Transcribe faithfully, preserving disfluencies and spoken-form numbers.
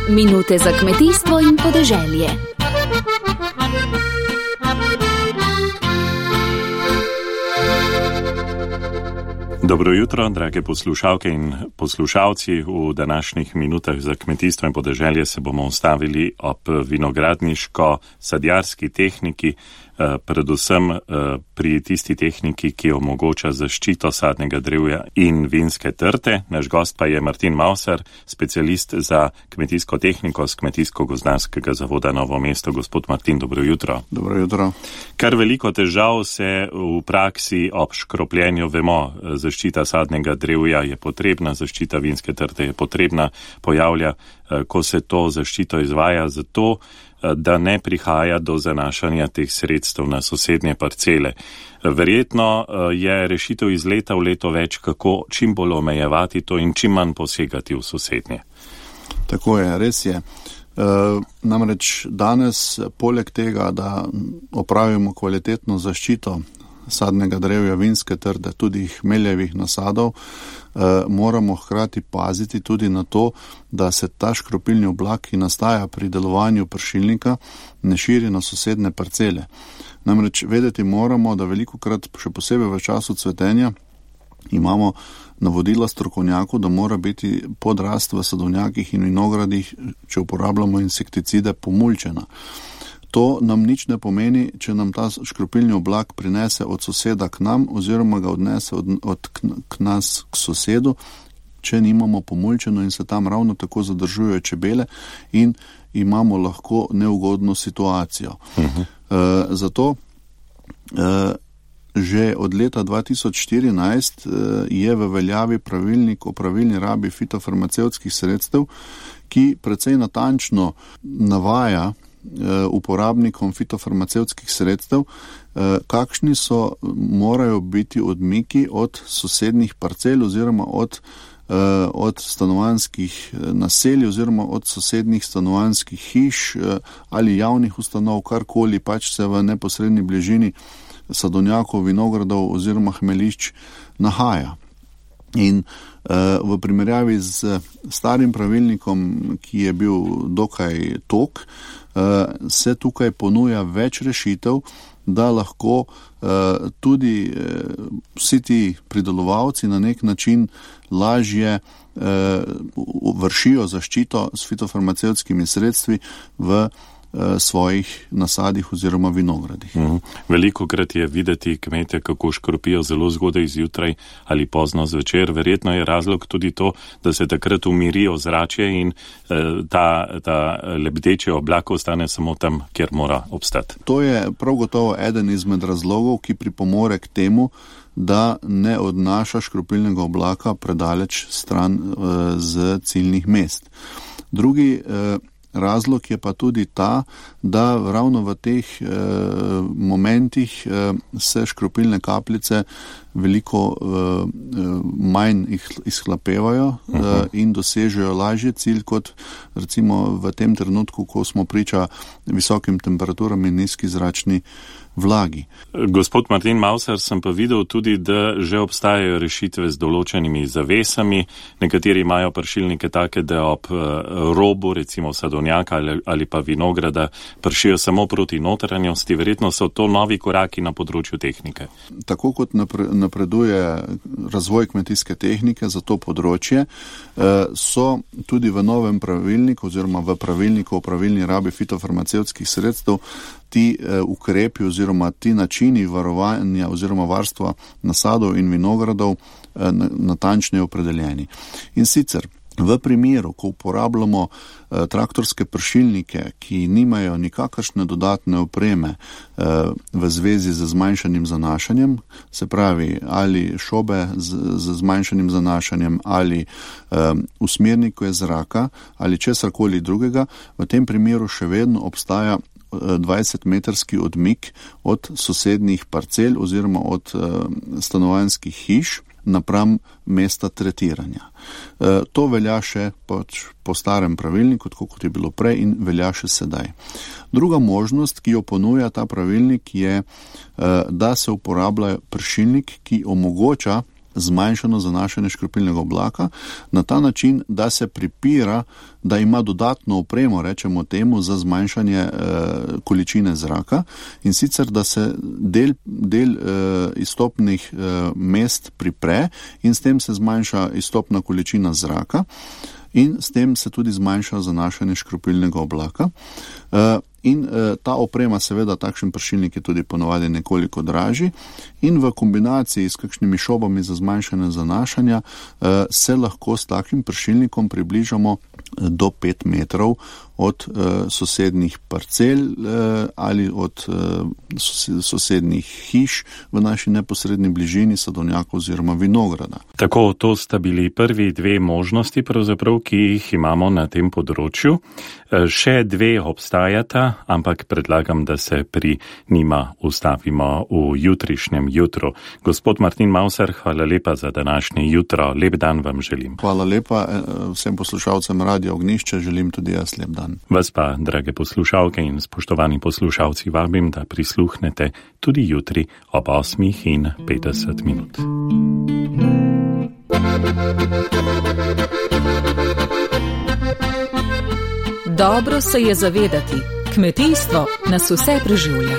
Minute za kmetijstvo in podeželje. Dobro jutro, drage poslušalke in poslušalci. V današnjih minutah za kmetijstvo in podeželje se bomo ustavili ob vinogradniško-sadjarski tehniki, predvsem pri tisti tehniki, ki omogoča zaščito sadnega drevja in vinske trte. Naš gost pa je Martin Mauser, specialist za kmetijsko tehniko z Kmetijsko-gozdarskega zavoda Novo mesto. Gospod Martin, dobro jutro. Dobro jutro. Kar veliko težav se v praksi ob škropljenju vemo. Zaščita sadnega drevja je potrebna, zaščita vinske trte je potrebna, pojavlja, ko se to zaščito izvaja, zato da ne prihaja do zanašanja teh sredstev na sosednje parcele. Verjetno je rešitev iz leta v leto več, kako čim bolj omejevati to in čim manj posegati v sosednje. Tako je, res je. E, namreč danes, poleg tega, da opravimo kvalitetno zaščito sadnega drevja, vinske trte, tudi hmeljevih nasadov, eh, moramo hkrati paziti tudi na to, da se ta škropilni oblak, ki nastaja pri delovanju pršilnika, ne širi na sosedne parcele. Namreč vedeti moramo, da velikokrat, še posebej v času cvetenja, imamo navodila strokovnjakov, da mora biti podrast v sadovnjakih in vinogradih, če uporabljamo insekticide, pomulčena. To nam nič ne pomeni, če nam ta škropilni oblak prinese od soseda k nam oziroma ga odnese od, od k, k nas k sosedu, če nimamo pomulčeno in se tam ravno tako zadržujejo čebele in imamo lahko neugodno situacijo. Uh-huh. E, zato e, že od leta dva tisoč štirinajst e, je v veljavi pravilnik o pravilni rabi fitofarmacevtskih sredstev, ki precej natančno navaja uporabnikom fitofarmacevtskih sredstev, kakšni so, morajo biti odmiki od sosednjih parcel oziroma od, od stanovanjskih naselij oziroma od sosednjih stanovanjskih hiš ali javnih ustanov, karkoli pač se v neposredni bližini sadovnjakov, vinogradov oziroma hmelišč nahaja. In v primerjavi z starim pravilnikom, ki je bil dokaj tok, se tukaj ponuja več rešitev, da lahko tudi vsi ti pridelovalci na nek način lažje vršijo zaščito s fitofarmacevtskimi sredstvi v svojih nasadih oziroma vinogradih. Mm. Velikokrat je videti kmete, kako škropijo zelo zgodaj zjutraj ali pozno zvečer. Verjetno je razlog tudi to, da se takrat umiri ozračje in eh, ta, ta lebdeči oblak ostane samo tam, kjer mora obstati. To je prav gotovo eden izmed razlogov, ki pripomore k temu, da ne odnaša škropilnega oblaka predaleč stran eh, z ciljnih mest. Drugi eh, razlog je pa tudi ta, da ravno v teh eh, momentih eh, se škropilne kapljice veliko eh, manj izhlapevajo eh, in dosežejo lažje cilj kot recimo v tem trenutku, ko smo priča visokim temperaturam in nizki zračni vlagi. Gospod Martin Mauser, sem pa videl tudi, da že obstajajo rešitve z določenimi zavesami. Nekateri imajo pršilnike take, da ob robu, recimo sadovnjaka ali, ali pa vinograda, pršijo samo proti notranjosti. Verjetno so to novi koraki na področju tehnike. Tako kot napreduje razvoj kmetijske tehnike za to področje, so tudi v novem pravilniku oziroma v pravilniku o pravilni rabi fitofarmacevtskih sredstev ti uh, ukrepi oziroma ti načini varovanja oziroma varstva nasadov in vinogradov uh, natančneje opredeljeni. In sicer v primeru, ko uporabljamo uh, traktorske pršilnike, ki nimajo nikakršne dodatne opreme uh, v zvezi z zmanjšanim zanašanjem, se pravi ali šobe z, z zmanjšanim zanašanjem ali um, usmernikov zraka ali česarkoli drugega, v tem primeru še vedno obstaja dvajsetmetrski odmik od sosednjih parcel oziroma od uh, stanovanjskih hiš napram mesta tretiranja. E, to velja še pač po starem pravilniku, tako kot je bilo prej in velja še sedaj. Druga možnost, ki jo ponuja ta pravilnik, je, e, da se uporablja pršilnik, ki omogoča zmanjšano zanašanje škropilnega oblaka na ta način, da se pripira, da ima dodatno opremo, rečemo temu, za zmanjšanje e, količine zraka in sicer, da se del, del e, izstopnih e, mest pripre in s tem se zmanjša izstopna količina zraka in s tem se tudi zmanjša zanašanje škropilnega oblaka. E, In e, ta oprema, seveda, takšen pršilnik je tudi ponovadi nekoliko dražji in v kombinaciji s kakšnimi šobami za zmanjšanje zanašanja e, se lahko s takim pršilnikom približamo do pet metrov od e, sosednjih parcel e, ali od e, sosednjih hiš v naši neposredni bližini, sadovnjakov oziroma vinograda. Tako, to sta bili prvi dve možnosti, pravzaprav, ki jih imamo na tem področju. E, še dve obstajata, ampak predlagam, da se pri njima ustavimo v jutrišnjem jutru. Gospod Martin Mauser, hvala lepa za današnje jutro. Lep dan vam želim. Hvala lepa vsem poslušalcem Radia Ognjišče, želim tudi jaz lep dan. Vas pa, drage poslušalke in spoštovani poslušalci, vabim, da prisluhnete tudi jutri ob osmih in petdeset minut. Dobro se je zavedati, kmetijstvo nas vse preživlja.